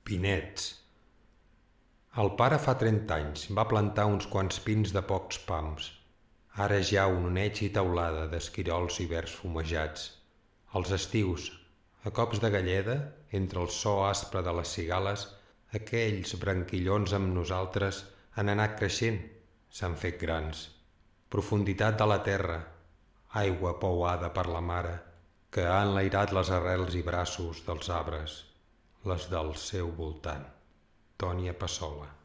Pinets. El pare fa 30 anys va plantar uns quants pins de pocs pams. Ara ja un oneig i teulada d'esquirols i verds fumejats. Els estius, a cops de galleda, entre el so aspre de les cigales, aquells branquillons amb nosaltres han anat creixent, s'han fet grans. Profunditat de la terra, aigua pouada per la mare, que ha enlairat les arrels i braços dels arbres, les del seu voltant. Tònia Passola.